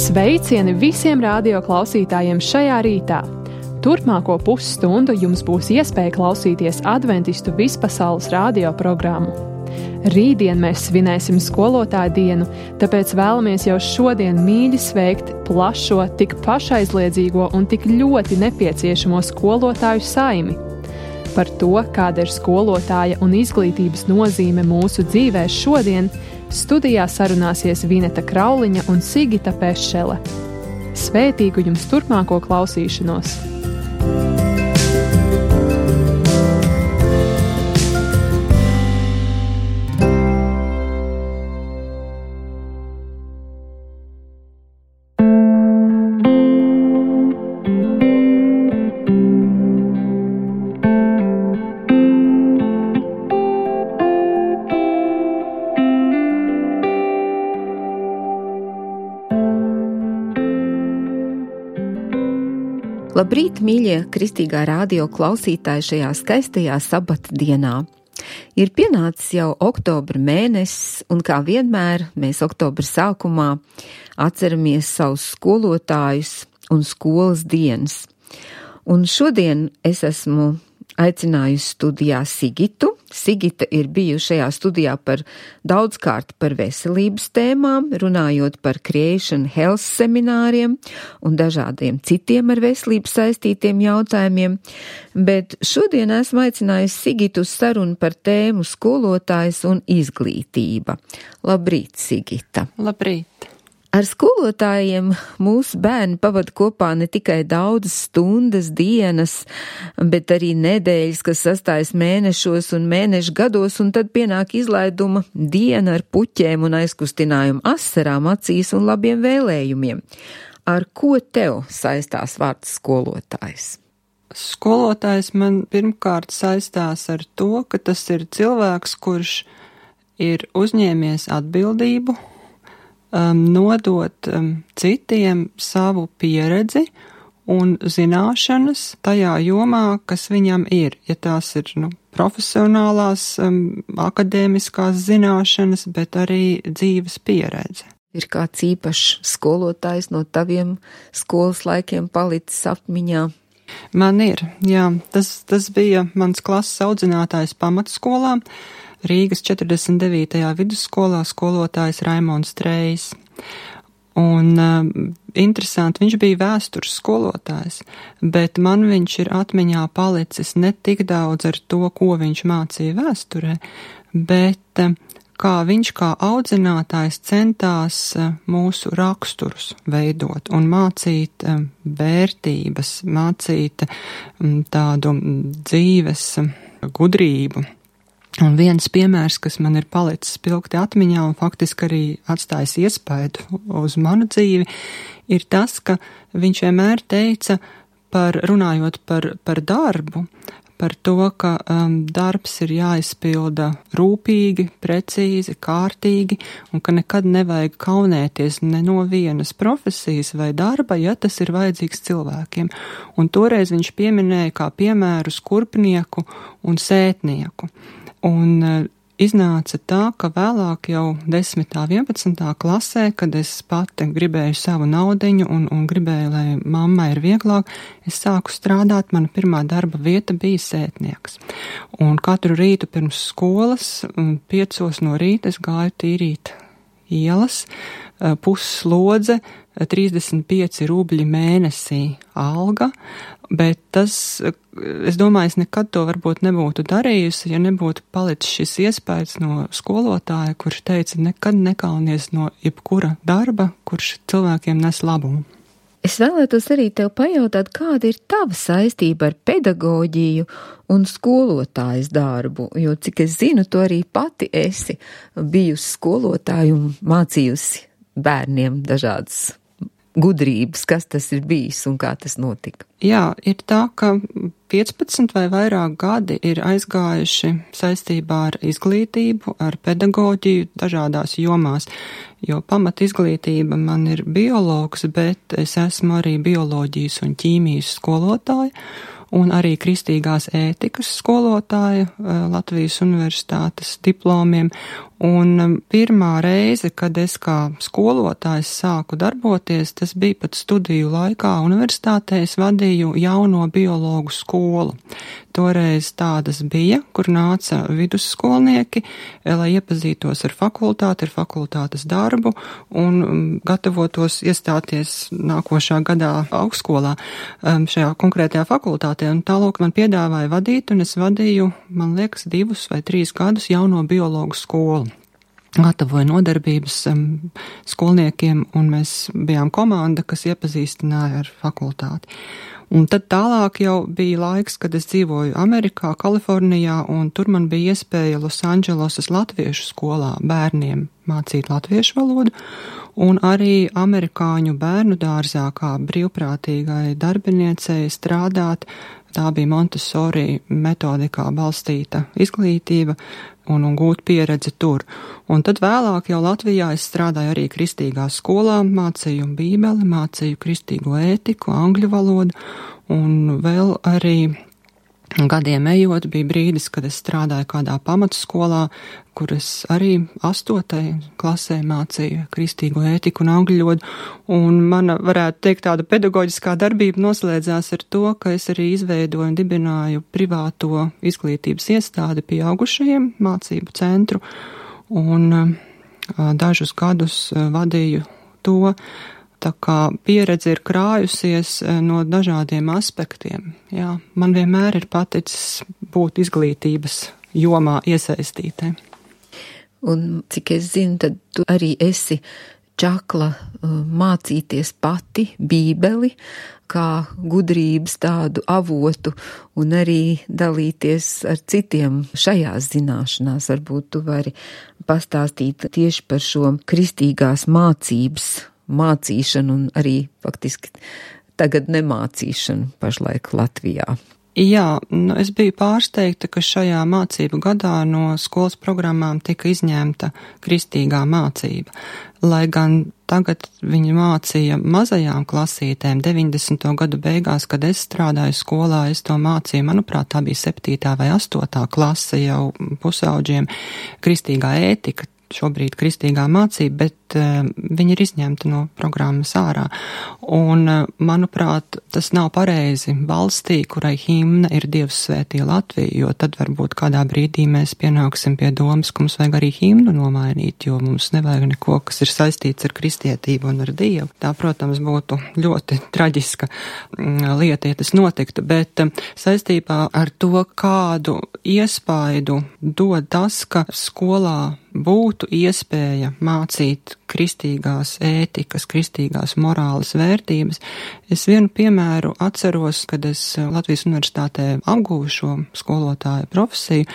Sveicieni visiem radio klausītājiem šajā rītā! Turpmāko pusstundu jums būs iespēja klausīties Adventistu vispasaules radio programmu. Rītdien mēs svinēsim skolotāju dienu, tāpēc vēlamies jau šodien mīļi sveikt plašo, tik pašaizliedzīgo un tik ļoti nepieciešamo skolotāju saimi. Par to, kāda ir skolotāja un izglītības nozīme mūsu dzīvē šodien, studijā sarunāsies Vineta Krauliņa un Sigita Pešele. Svētīgu jums turpmāko klausīšanos! Labrīt, mīļie kristīgā radio klausītāji šajā skaistajā sabata dienā. Ir pienācis jau oktobra mēnesis, un kā vienmēr mēs oktobra sākumā atceramies savus skolotājus un skolas dienas. Un šodien es esmu aicinājusi studijā Sigitu. Sigita ir bijusi šajā studijā daudzkārt par veselības tēmām, runājot par Creation Health semināriem un dažādiem citiem ar veselību saistītiem jautājumiem, bet šodien esmu aicinājusi Sigitu uz sarunu par tēmu skolotājs un izglītība. Labrīt, Sigita! Labrīt! Ar skolotājiem mūsu bērni pavada kopā ne tikai daudzas stundas, dienas, bet arī nedēļas, kas sastājas mēnešos un mēnešu gados, un tad pienāk izlaiduma diena ar puķēm un aizkustinājumu asarām acīs un labiem vēlējumiem. Ar ko tev saistās vārds skolotājs? Skolotājs man pirmkārt saistās ar to, ka tas ir cilvēks, kurš ir uzņēmies atbildību, nodot citiem savu pieredzi un zināšanas tajā jomā, kas viņam ir. Ja tās ir profesionālās, akadēmiskās zināšanas, bet arī dzīves pieredze. Ir kāds īpašs skolotājs no taviem skolas laikiem palicis atmiņā? Man ir, jā. Tas bija mans klases audzinātājs pamatskolā. Rīgas 49. vidusskolā skolotājs Raimons Trejs. Un interesanti, viņš bija vēstures skolotājs, bet man viņš ir atmiņā palicis ne tik daudz ar to, ko viņš mācīja vēsturē, bet kā viņš kā audzinātājs centās mūsu raksturus veidot un mācīt vērtības, mācīt tādu dzīves gudrību. Un viens piemērs, kas man ir palicis spilgti atmiņā un faktiski arī atstājis iespaidu uz manu dzīvi, ir tas, ka viņš vienmēr teica, runājot par darbu, par to, ka darbs ir jāizpilda rūpīgi, precīzi, kārtīgi, un ka nekad nevajag kaunēties ne no vienas profesijas vai darba, ja tas ir vajadzīgs cilvēkiem. Un toreiz viņš pieminēja kā piemērus kurpnieku un sētnieku. Un iznāca tā, ka vēlāk jau 10. 11. klasē, kad es pati gribēju savu naudiņu un gribēju, lai mammai ir vieglāk, es sāku strādāt, mana pirmā darba vieta bija sētnieks. Un katru rītu pirms skolas, 5 no rīta es gāju tīrīt ielas, pusslodze, 35 rubļi mēnesī alga, bet tas, es domāju, es nekad to varbūt nebūtu darījusi, ja nebūtu palicis šis iespējas no skolotāja, kurš teica, nekad nekaunies no jebkura darba, kurš cilvēkiem nes labumu. Es vēlētos arī tev pajautāt, kāda ir tava saistība ar pedagoģiju un skolotājas darbu, jo, cik es zinu, tu arī pati esi bijusi skolotāja un mācījusi bērniem dažādas gudrības, kas tas ir bijis un kā tas notika. Jā, ir tā, ka 15 vai vairāk gadi ir aizgājuši saistībā ar izglītību, ar pedagoģiju dažādās jomās, jo pamat izglītība man ir biologs, bet es esmu arī bioloģijas un ķīmijas skolotāja un arī kristīgās ētikas skolotāja Latvijas universitātes diplomiem, Un pirmā reize, kad es kā skolotājs sāku darboties, tas bija pat studiju laikā universitātē, es vadīju jauno biologu skolu. Toreiz tādas bija, kur nāca vidusskolnieki, lai iepazītos ar fakultāti, ar fakultātes darbu un gatavotos iestāties nākošā gadā augstskolā šajā konkrētajā fakultātē. Un tālāk man piedāvāja vadīt, un es vadīju, man liekas, 2 vai 3 gadus jauno biologu skolu. Gatavoja nodarbības skolniekiem, un mēs bijām komanda, kas iepazīstināja ar fakultāti. Un tad tālāk jau bija laiks, kad es dzīvoju Amerikā, Kalifornijā, un tur man bija iespēja Losandželosas latviešu skolā bērniem mācīt latviešu valodu, un arī amerikāņu bērnu dārzā kā brīvprātīgai darbiniecei strādāt. Tā bija Montessori metodikā balstīta izglītība un gūt pieredzi tur. Un tad vēlāk jau Latvijā es strādāju arī kristīgā skolā, mācīju bībeli, mācīju kristīgo ētiku, angļu valodu, un vēl arī gadiem ejot bija brīdis, kad es strādāju kādā pamatskolā, kur es arī 8. klasē mācīju kristīgo ētiku un angļu valodu, un mana, varētu teikt, tāda pedagoģiskā darbība noslēdzās ar to, ka es arī izveidoju un dibināju privāto izglītības iestādi pieaugušajiem mācību centru, un dažus gadus vadīju to. Tā kā pieredze ir krājusies no dažādiem aspektiem. Jā, man vienmēr ir paticis būt izglītības jomā iesaistītē. Un cik es zinu, tad tu arī esi čakla mācīties pati bībeli, kā gudrības tādu avotu, un arī dalīties ar citiem šajās zināšanās. Varbūt tu vari pastāstīt tieši par šo kristīgās mācības mācīšanu un arī faktiski tagad nemācīšanu pašlaik Latvijā. Jā, es biju pārsteigta, ka šajā mācību gadā no skolas programmām tika izņemta kristīgā mācība. Lai gan tagad viņi mācīja mazajām klasītēm 90. gadu beigās, kad es strādāju skolā, es to mācīju, manuprāt, tā bija 7. vai 8. klase jau pusauģiem, kristīgā ētika. Šobrīd kristīgā mācība, bet viņi ir izņemti no programmas ārā. Un, manuprāt, tas nav pareizi valstī, kurai himna ir Dievs svētī Latviju, jo tad varbūt kādā brīdī mēs pienāksim pie domas, ka mums vajag arī himnu nomainīt, jo mums nevajag neko, kas ir saistīts ar kristietību un ar Dievu. Tā, protams, būtu ļoti traģiska lieta, ja tas notiktu, bet saistībā ar to, kādu iespaidu dod tas, ka skolā būtu iespēja mācīt kristīgās ētikas, kristīgās morāles vērtības. Es vienu piemēru atceros, kad es Latvijas universitātē apguvu šo skolotāju profesiju.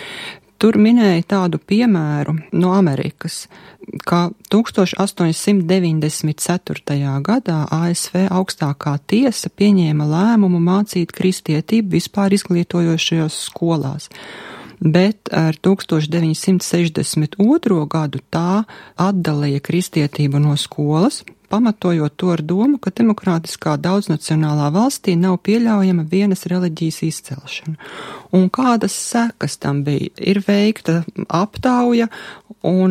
Tur minēja tādu piemēru no Amerikas, ka 1894. gadā ASV augstākā tiesa pieņēma lēmumu mācīt kristietību vispār izglītojošajās skolās. Bet ar 1962. gadu tā atdalīja kristietību no skolas, pamatojot to ar domu, ka demokrātiskā daudznacionālā valstī nav pieļaujama vienas reliģijas izcelšana. Un kādas sekas tam bija? Ir veikta aptauja, un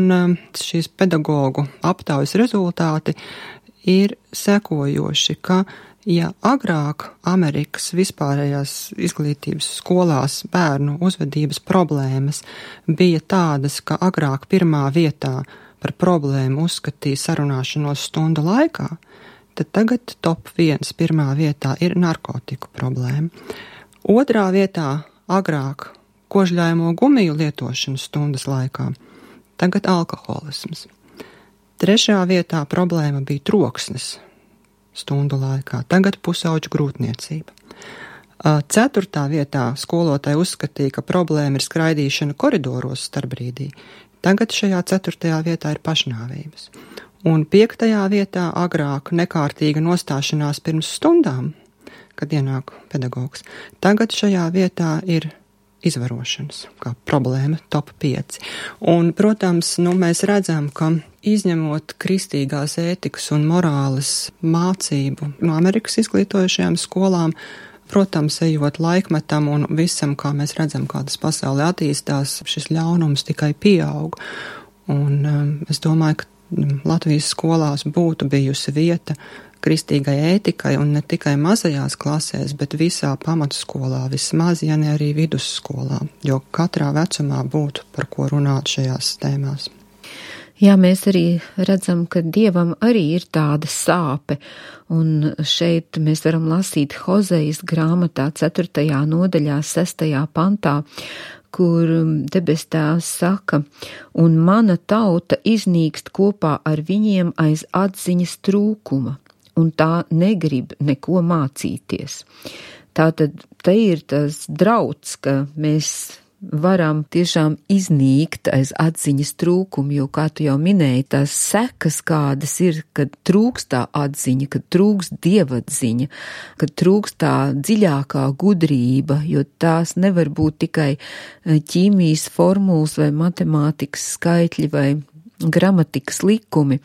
šīs pedagogu aptaujas rezultāti ir sekojoši, ka ja agrāk Amerikas vispārējās izglītības skolās bērnu uzvedības problēmas bija tādas, ka agrāk pirmā vietā par problēmu uzskatīja sarunāšanos stundu laikā, tad tagad top 1 pirmā vietā ir narkotiku problēma. Otrā vietā agrāk kožļājamo gumiju lietošanu stundas laikā, tagad alkoholisms. Trešā vietā problēma bija troksnis stundu laikā, tagad pusauģu grūtniecība. 4. vietā skolotāji uzskatīja, ka problēma ir skraidīšana koridoros starpbrīdī, tagad šajā 4. vietā ir pašnāvības. Un 5. vietā agrāk nekārtīga nostāšanās pirms stundām, kad ienāk pedagogs, tagad šajā vietā ir izvarošanas, kā problēma top 5. Un, protams, mēs redzam, ka izņemot kristīgās ētikas un morāles mācību no Amerikas izglītojušajām skolām, protams, ejot laikmetam un visam, kā mēs redzam, kā tas pasaulē attīstās, šis ļaunums tikai pieaug. Un es domāju, ka Latvijas skolās būtu bijusi vieta kristīgai ētikai, un ne tikai mazajās klasēs, bet visā pamatskolā, vismaz, ja ne arī vidusskolā, jo katrā vecumā būtu par ko runāt šajās tēmās. Jā, mēs arī redzam, ka Dievam arī ir tāda sāpe, un šeit mēs varam lasīt Hozejas grāmatā 4. nodaļā 6. pantā, kur debes Tēvs saka, un mana tauta iznīkst kopā ar viņiem aiz atziņas trūkuma, un tā negrib neko mācīties. Tātad te ir tas drauds, ka mēs varam tiešām iznīkt aiz atziņas trūkumu, jo, kā tu jau minēji, tās sekas kādas ir, kad trūkst tā atziņa, kad trūkst dievatziņa, kad trūkst tā dziļākā gudrība, jo tās nevar būt tikai ķīmijas formulas vai matemātikas skaitļi vai gramatikas likumi.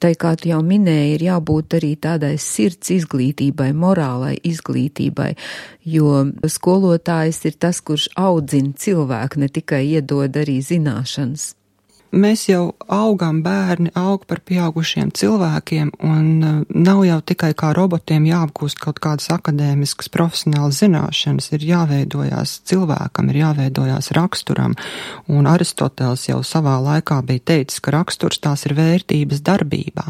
Tai, kā tu jau minēji, ir jābūt arī tādai sirds izglītībai, morālai izglītībai, jo skolotājs ir tas, kurš audzina cilvēku, ne tikai iedod arī zināšanas. Mēs jau augam, bērni aug par pieaugušiem cilvēkiem, un nav jau tikai kā robotiem jāapgūst kaut kādas akadēmiskas profesionālas zināšanas, ir jāveidojās cilvēkam, ir jāveidojās raksturam, un Aristoteles jau savā laikā bija teicis, ka raksturs tās ir vērtības darbībā,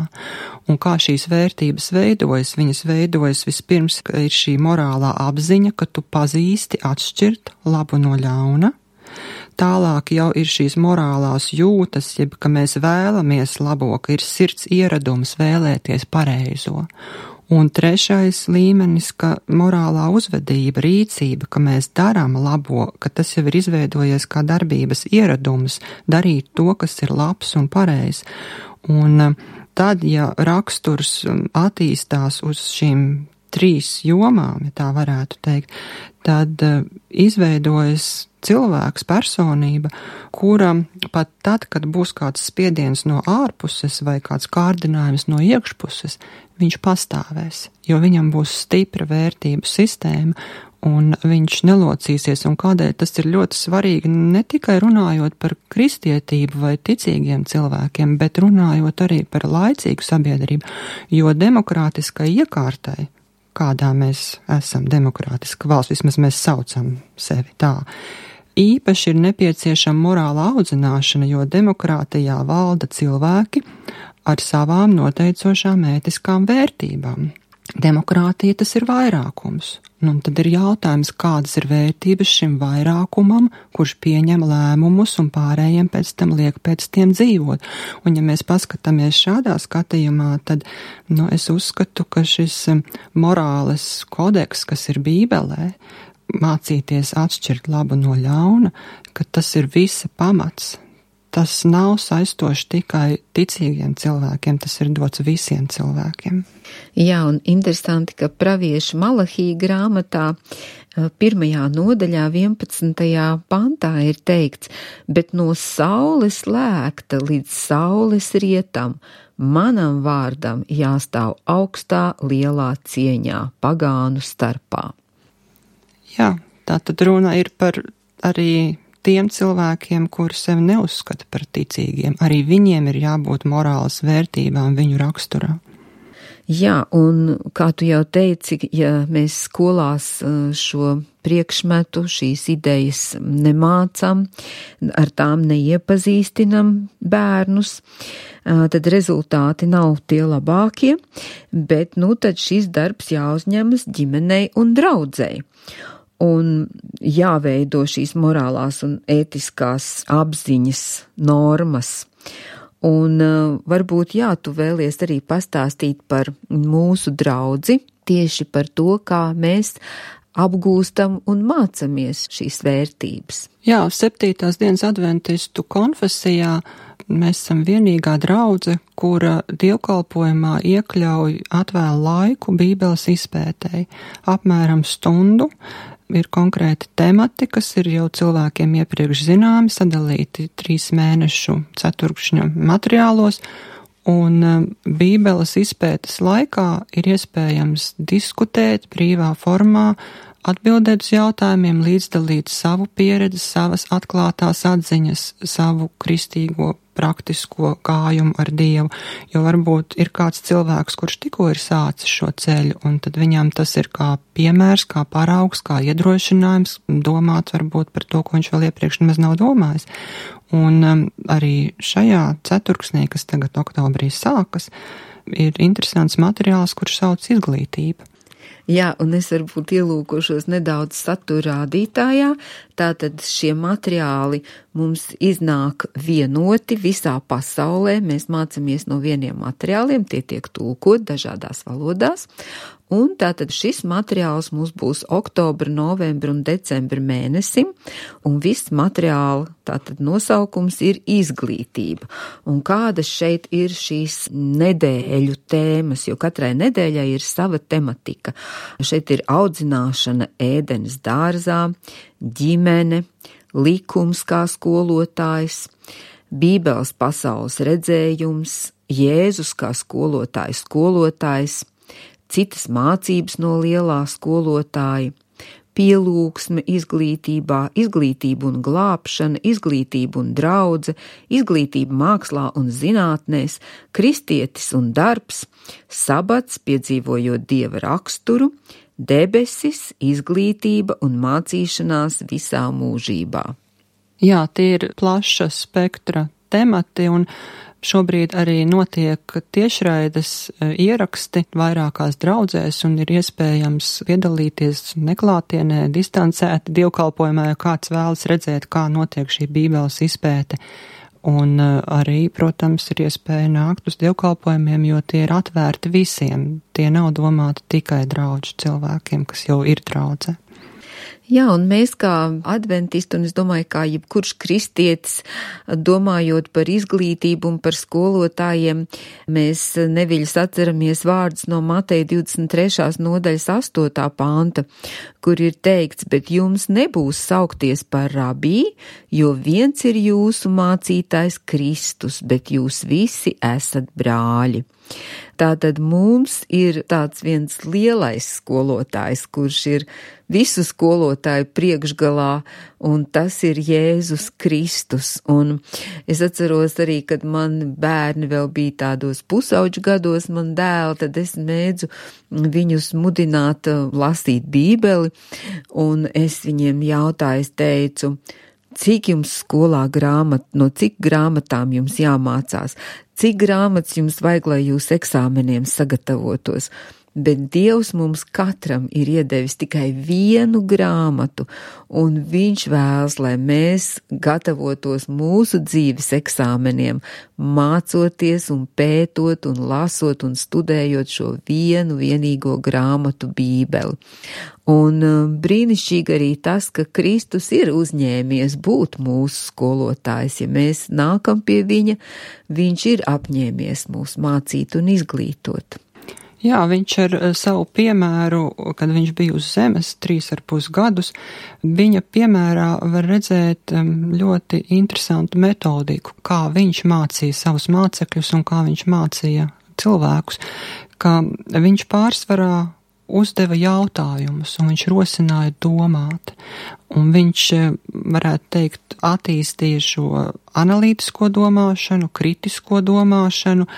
un kā šīs vērtības veidojas, viņas veidojas vispirms, ka ir šī morālā apziņa, ka tu pazīsti atšķirt labu no ļauna. Tālāk jau ir šīs morālās jūtas, jeb, ka mēs vēlamies labo, ka ir sirds ieradums vēlēties pareizo. Un trešais līmenis, ka morālā uzvedība, rīcība, ka mēs darām labo, ka tas jau ir izveidojies kā darbības ieradums, darīt to, kas ir labs un pareizs. Un tad, ja raksturs attīstās uz šīm 3 jomām, ja tā varētu teikt, tad izveidojas cilvēks, personība, kura pat tad, kad būs kāds spiediens no ārpuses vai kāds kārdinājums no iekšpuses, viņš pastāvēs, jo viņam būs stipra vērtību sistēma un viņš nelocīsies. Un kādēļ tas ir ļoti svarīgi, ne tikai runājot par kristietību vai ticīgiem cilvēkiem, bet runājot arī par laicīgu sabiedrību, jo demokrātiskai iekārtai, kādā mēs esam demokrātiska valsts, vismaz mēs saucam sevi tā, īpaši ir nepieciešama morāla audzināšana, jo demokrātijā valda cilvēki ar savām noteicošām ētiskām vērtībām. Demokrātija tas ir vairākums. Nu, tad ir jautājums, kādas ir vērtības šim vairākumam, kurš pieņem lēmumus un pārējiem pēc tam liek pēc tiem dzīvot. Un ja mēs paskatāmies šādā skatījumā, tad es uzskatu, ka šis morāles kodeks, kas ir Bībelē, mācīties atšķirt labu no ļauna, ka tas ir visa pamats. Tas nav saistoši tikai ticīgiem cilvēkiem, tas ir dots visiem cilvēkiem. Jā, un interesanti, ka pravieša Malahija grāmatā 1. nodaļā 11. pantā ir teikts, bet no saules lēkta līdz saules rietam, manam vārdam jāstāv augstā lielā cieņā pagānu starpā. Jā, tā tad runa ir par arī tiem cilvēkiem, kuri sevi neuzskata par ticīgiem. Arī viņiem ir jābūt morālas vērtībām viņu raksturā. Jā, un kā tu jau teici, ja mēs skolās šo priekšmetu, šīs idejas nemācam, ar tām neiepazīstinam bērnus, tad rezultāti nav tie labākie, bet tad šis darbs jāuzņemas ģimenei un draudzei. Un jāveido šīs morālās un ētiskās apziņas normas. Un varbūt tu vēlies arī pastāstīt par mūsu draudzi, tieši par to, kā mēs apgūstam un mācamies šīs vērtības. Jā, 7. dienas adventistu konfesijā mēs esam vienīgā draudze, kura dievkalpojumā iekļauj atvēl laiku Bībeles izpētēji, apmēram stundu. Ir konkrēti temati, kas ir jau cilvēkiem iepriekš zināmi, sadalīti 3 mēnešu ceturkšņa materiālos, un Bībeles izpētes laikā ir iespējams diskutēt brīvā formā, atbildēt uz jautājumiem, līdzdalīt savu pieredzi, savas atklātās atziņas, savu kristīgo praktisko gājumu ar Dievu, jo varbūt ir kāds cilvēks, kurš tikko ir sācis šo ceļu, un tad viņam tas ir kā piemērs, kā paraugs, kā iedrošinājums domāt varbūt par to, ko viņš vēl iepriekš nemaz nav domājis. Un arī šajā ceturksnī, kas tagad oktobrī sākas, ir interesants materiāls, kurš sauc izglītība. Jā, un es varbūt ielūkošos nedaudz satura rādītājā, tātad šie materiāli mums iznāk vienoti visā pasaulē, mēs mācamies no vieniem materiāliem, tie tiek tulkot dažādās valodās, un tātad šis materiāls mums būs oktobra, novembra un decembra mēnesim, un viss materiāla tātad nosaukums ir izglītība. Un kādas šeit ir šīs nedēļu tēmas, jo katrai nedēļai ir sava tematika. Šeit ir audzināšana ēdenes dārzā, ģimene, likums kā skolotājs, Bībeles pasaules redzējums, Jēzus kā skolotājs, citas mācības no lielā skolotāja, pielūgsme izglītībā, izglītība un glābšana, izglītība un draudze, izglītība mākslā un zinātnēs, kristietis un darbs, sabats, piedzīvojot Dieva raksturu, debesis, izglītība un mācīšanās visā mūžībā. Jā, tie ir plaša spektra temati, un šobrīd arī notiek tiešraides ieraksti vairākās draudzēs, un ir iespējams piedalīties neklātienē, distancēti dievkalpojumā, ja kāds vēlas redzēt, kā notiek šī Bībeles izpēte. Un arī, protams, ir iespēja nākt uz dievkalpojumiem, jo tie ir atvērti visiem. Tie nav domāti tikai draudžu cilvēkiem, kas jau ir draudzē. Jā, un mēs kā adventisti, un es domāju, kā jebkurš kristietis, domājot par izglītību un par skolotājiem, mēs neviļus atceramies vārdus no Mateja 23. nodaļas 8. panta, kur ir teikts, bet jums nebūs saukties par rabī, jo viens ir jūsu mācītājs Kristus, bet jūs visi esat brāļi. Tātad mums ir tāds viens lielais skolotājs, kurš ir visu skolotāju priekšgalā, un tas ir Jēzus Kristus. Un es atceros arī, kad man bērni vēl bija tādos pusauģu gados, man dēli, tad es mēdzu viņus mudināt lasīt Bībeli, un es viņiem jautāju, es teicu, cik jums skolā no cik grāmatām jums jāmācās, cik grāmatas jums vajag, lai jūs eksāmeniem sagatavotos. Bet Dievs mums katram ir iedevis tikai vienu grāmatu, un Viņš vēlas, lai mēs gatavotos mūsu dzīves eksāmeniem, mācoties un pētot un lasot un studējot šo vienīgo grāmatu Bībeli. Un brīnišķīgi arī tas, ka Kristus ir uzņēmies būt mūsu skolotājs. Ja mēs nākam pie viņa, viņš ir apņēmies mūs mācīt un izglītot. Jā, viņš ar savu piemēru, kad viņš bija uz zemes 3,5 gadus, viņa piemērā var redzēt ļoti interesantu metodiku, kā viņš mācīja savus mācekļus un kā viņš mācīja cilvēkus, ka viņš pārsvarā uzdeva jautājumus un viņš rosināja domāt. Un viņš, varētu teikt, attīstīja šo analītisko domāšanu, kritisko domāšanu,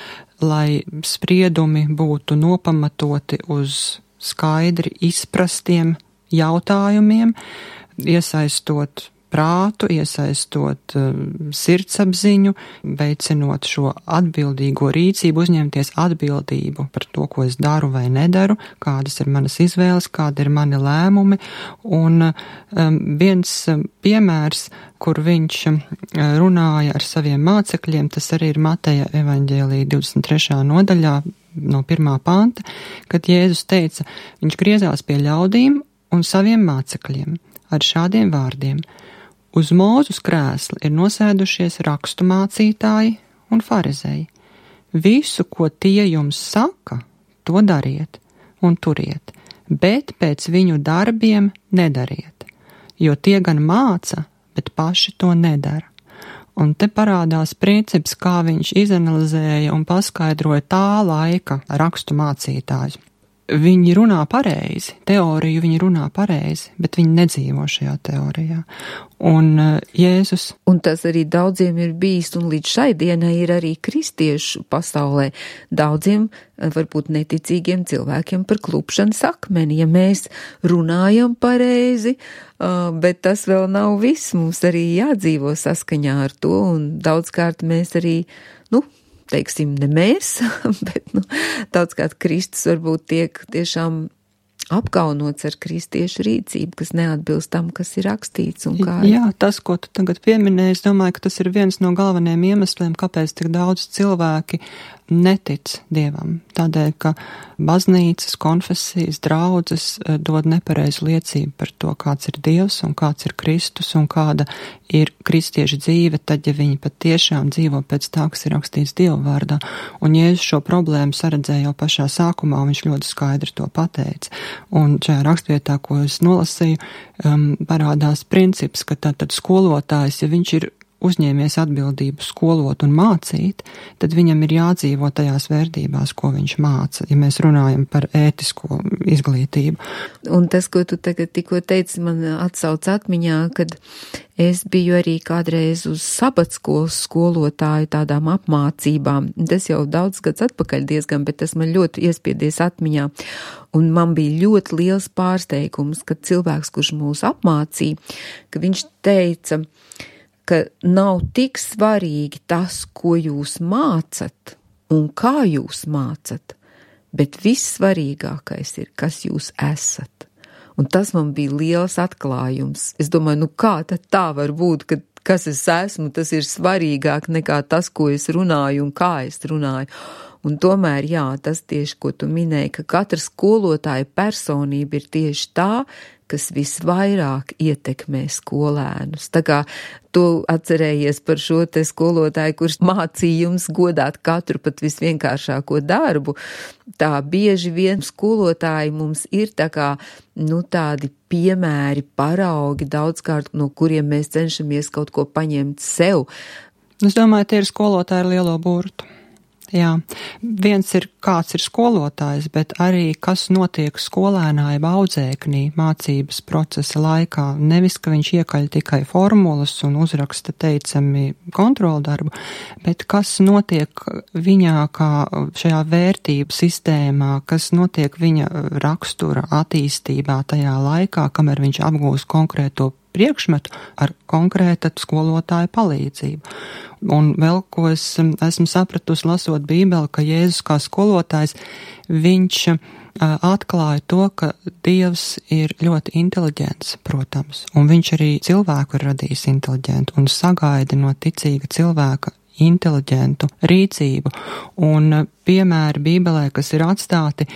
lai spriedumi būtu nopamatoti uz skaidri izprastiem jautājumiem, iesaistot prātu, iesaistot sirdsapziņu, veicinot šo atbildīgo rīcību, uzņemties atbildību par to, ko es daru vai nedaru, kādas ir manas izvēles, kādi ir mani lēmumi. Un viens piemērs, kur viņš runāja ar saviem mācekļiem, tas arī ir Mateja evaņģēlija 23. nodaļā no 1. panta, kad Jēzus teica, viņš griezās pie ļaudīm un saviem mācekļiem ar šādiem vārdiem. Uz Mūzes krēsla ir nosēdušies rakstu mācītāji un farizēji. Visu, ko tie jums saka, to dariet un turiet, bet pēc viņu darbiem nedariet, jo tie gan māca, bet paši to nedara. Un te parādās princips, kā viņš izanalizēja un paskaidroja tā laika rakstu mācītājus. viņi runā pareizi, teoriju viņi runā pareizi, bet viņi nedzīvo šajā teorijā. Un Jēzus. Un tas arī daudziem ir bijis, un līdz šai dienai ir arī kristiešu pasaulē daudziem, varbūt neticīgiem cilvēkiem par klupšanas akmeni, ja mēs runājam pareizi, bet tas vēl nav viss, mums arī jādzīvo saskaņā ar to, un daudzkārt mēs arī, teiksim, ne mēs, bet, daudzkārt Kristus varbūt tiek tiešām apkaunots ar kristiešu rīcību, kas neatbilst tam, kas ir rakstīts un kā. Jā, tas, ko tu tagad pieminēji, es domāju, ka tas ir viens no galvenajiem iemesliem, kāpēc tik daudz cilvēki netic Dievam. Tādēļ, ka baznīcas, konfesijas, draudzes dod nepareizu liecību par to, kāds ir Dievs un kāds ir Kristus un kāda ir kristiešu dzīve, tad, ja viņi patiešām dzīvo pēc tā, kas ir rakstīts Dieva vārdā. Un Jēzus šo problēmu saredzēja jau pašā sākumā, un viņš ļoti skaidri to pateica. Un šajā rakstvietā, ko es nolasīju, parādās princips, ka tātad skolotājs, ja viņš ir uzņēmies atbildību skolot un mācīt, tad viņam ir jādzīvo tajās vērtībās, ko viņš māca, ja mēs runājam par ētisko izglītību. Un tas, ko tu tagad tikko teici, man atsauc atmiņā, kad es biju arī kādreiz uz sabatskolas skolotāju tādām apmācībām. Tas jau daudz gads atpakaļ diezgan, bet tas man ļoti iespiedies atmiņā. Un man bija ļoti liels pārsteigums, kad cilvēks, kurš mūs apmācīja, ka viņš teica, ka nav tik svarīgi tas, ko jūs mācat un kā jūs mācat, bet vissvarīgākais ir, kas jūs esat. Un tas man bija liels atklājums. Es domāju, kā tad tā var būt, ka kas es esmu, tas ir svarīgāk nekā tas, ko es runāju un kā es runāju. Un tomēr, jā, tas tieši, ko tu minēji, ka katra skolotāja personība ir tieši tā, kas visvairāk ietekmē skolēnus. Tā kā tu atcerējies par šo te skolotāju, kurš mācīja jums godāt katru pat visvienkāršāko darbu, tā bieži vien skolotāji mums ir tā kā, tādi piemēri, paraugi daudzkārt, no kuriem mēs cenšamies kaut ko paņemt sev. Es domāju, tie ir skolotāji ar lielo burtu. Jā, viens ir, kāds ir skolotājs, bet arī, kas notiek skolēnā jeb audzēknī mācības procesa laikā. Nevis, ka viņš iekaļ tikai formulas un uzraksta teicami kontroldarbu, bet kas notiek viņā kā šajā vērtību sistēmā, kas notiek viņa rakstura attīstībā tajā laikā, kamēr viņš apgūst konkrēto priekšmetu ar konkrēta skolotāja palīdzību. Un vēl, ko es esmu sapratusi lasot Bībeli, ka Jēzus kā skolotājs, viņš atklāja to, ka Dievs ir ļoti inteliģents, protams, un viņš arī cilvēku ir radījis inteliģentu un sagaida no ticīga cilvēka inteliģentu rīcību. Un piemēri Bībelē, kas ir atstāti,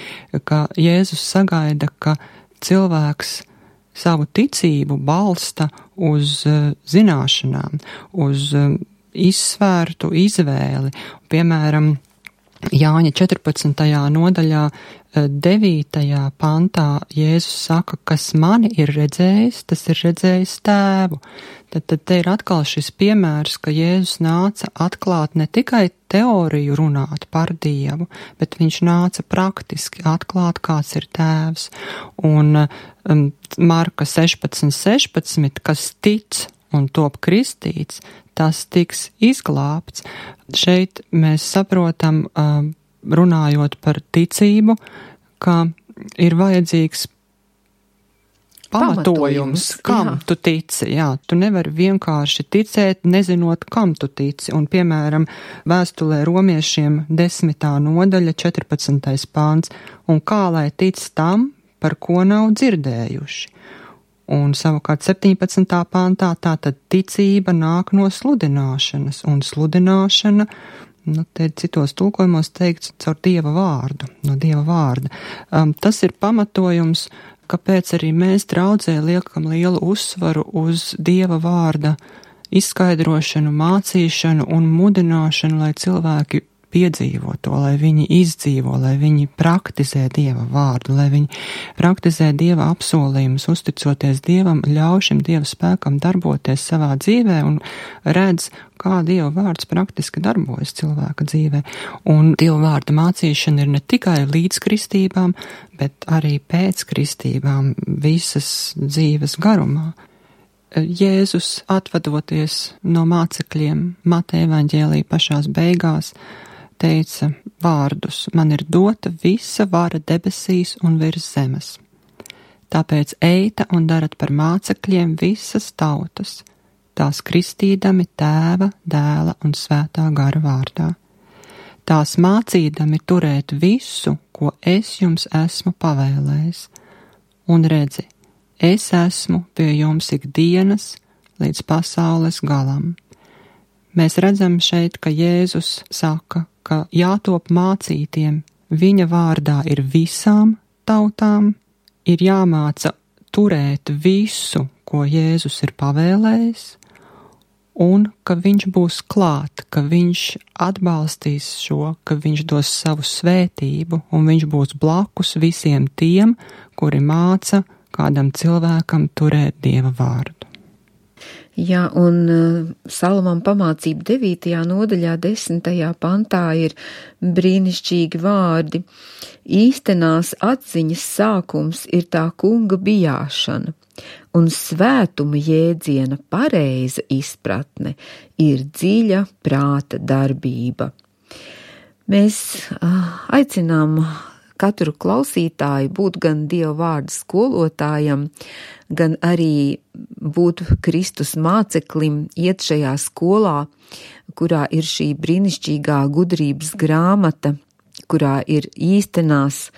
ka Jēzus sagaida, ka cilvēks savu ticību balsta uz zināšanām, uz izsvērtu izvēli. Piemēram, Jāņa 14. nodaļā 9. pantā Jēzus saka, kas mani ir redzējis, tas ir redzējis tēvu. Tad te ir atkal šis piemērs, ka Jēzus nāca atklāt ne tikai teoriju runāt par Dievu, bet viņš nāca praktiski atklāt, kāds ir tēvs. Un Marka 16:16, kas tic un top kristīts, tas tiks izglābts. Šeit mēs saprotam, runājot par ticību, ka ir vajadzīgs pamatojums, kam tu tici. Jā, tu nevari vienkārši ticēt, nezinot, kam tu tici. Un, piemēram, vēstulē romiešiem 10. nodaļa 14. pāns. Un kā lai tic tam, par ko nav dzirdējuši? Un savukārt 17. pāntā tātad ticība nāk no sludināšanas, un sludināšana, te citos tulkojumos teikts caur Dieva vārdu, no Dieva vārda. Tas ir pamatojums, kāpēc arī mēs draudzē liekam lielu uzsvaru uz Dieva vārda izskaidrošanu, mācīšanu un mudināšanu, lai cilvēki piedzīvo to, lai viņi izdzīvo, lai viņi praktizē Dieva vārdu, lai viņi praktizē Dieva apsolījumus, uzticoties Dievam, ļauj šim Dieva spēkam darboties savā dzīvē un redz, kā Dieva vārds praktiski darbojas cilvēka dzīvē. Un Dieva vārda mācīšana ir ne tikai līdz kristībām, bet arī pēc kristībām visas dzīves garumā. Jēzus, atvadoties no mācekļiem, Mateja evaņģēlija pašās beigās, teica vārdus: man ir dota visa vara debesīs un virs zemes. Tāpēc eita un darat par mācekļiem visas tautas, tās kristīdami Tēva, Dēla un Svētā gara vārdā. Tās mācīdami turēt visu, ko es jums esmu pavēlējis. Un redzi, es esmu pie jums ikdienas līdz pasaules galam. Mēs redzam šeit, ka Jēzus saka, ka jātop mācītiem viņa vārdā ir visām tautām, ir jāmāca turēt visu, ko Jēzus ir pavēlējis, un ka viņš būs klāt, ka viņš atbalstīs šo, ka viņš dos savu svētību, un viņš būs blakus visiem tiem, kuri māca kādam cilvēkam turēt Dieva vārdu. Jā, un Salamam pamācība 9. nodaļā 10. pantā ir brīnišķīgi vārdi. Īstenās atziņas sākums ir tā kunga bijāšana, un svētuma jēdziena pareiza izpratne ir dziļa prāta darbība. Mēs aicinām katru klausītāju būt gan Dieva vārda skolotājam, gan arī būt Kristus māceklim, iet šajā skolā, kurā ir šī brīnišķīgā gudrības grāmata, kurā ir īstenās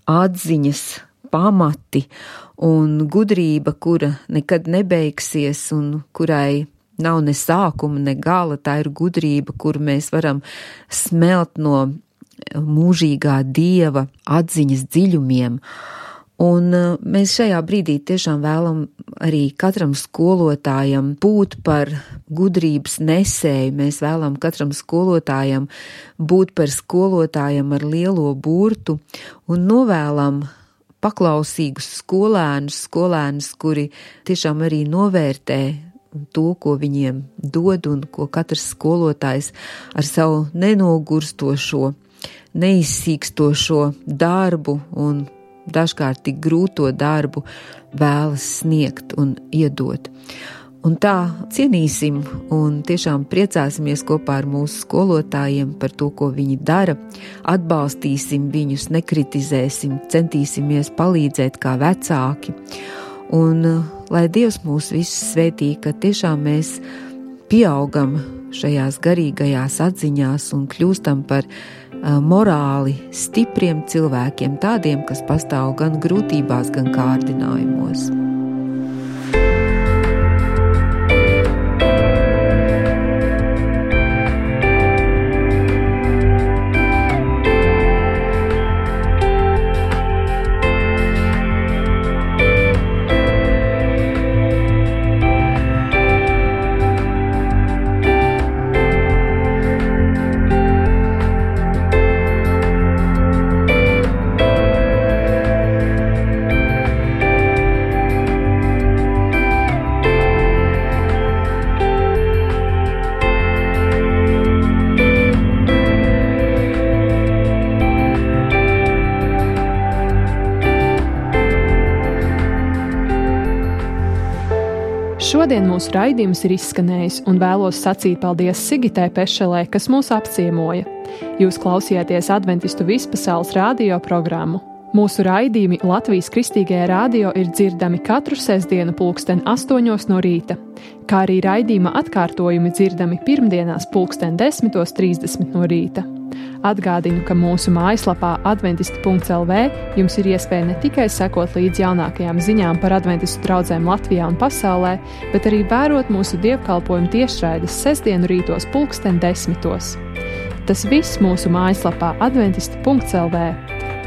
atziņas pamati un gudrība, kura nekad nebeigsies un kurai nav ne sākuma, ne gala. Tā ir gudrība, kuru mēs varam smelt no mūžīgā Dieva atziņas dziļumiem. Un mēs šajā brīdī tiešām vēlam arī katram skolotājam būt par gudrības nesēju. Mēs vēlam katram skolotājam būt par skolotājam ar lielo burtu un novēlam paklausīgus skolēnus, kuri tiešām arī novērtē to, ko viņiem dod un ko katrs skolotājs ar savu nenogurstošo, neizsīkstošo darbu un dažkārt tik grūto darbu vēlas sniegt un iedot. Un tā cienīsim un tiešām priecāsimies kopā ar mūsu skolotājiem par to, ko viņi dara, atbalstīsim viņus, nekritizēsim, centīsimies palīdzēt kā vecāki. Un lai Dievs mūs visus svētī, ka tiešām mēs pieaugam šajās garīgajās atziņās un kļūstam par morāli stipriem cilvēkiem, tādiem, kas pastāv gan grūtībās, gan kārdinājumos. Šodien mūsu raidījums ir izskanējis un vēlos sacīt paldies Sigitai Pešelē, kas mūs apciemoja. Jūs klausījāties Adventistu vispasaules radio programmu. Mūsu raidījumi Latvijas Kristīgajā radio ir dzirdami katru sestdienu 8:00 no rīta, kā arī raidījuma atkārtojumi dzirdami pirmdienās 10:30 no rīta. Atgādinu, ka mūsu mājaslapā adventisti.lv jums ir iespēja ne tikai sekot līdz jaunākajām ziņām par adventistu draudzēm Latvijā un pasaulē, bet arī vērot mūsu dievkalpojumu tiešraides sestdienu rītos 10:00. Tas viss mūsu mājaslapā adventisti.lv.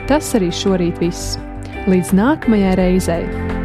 Tas arī šorīt viss. Līdz nākamajai reizei!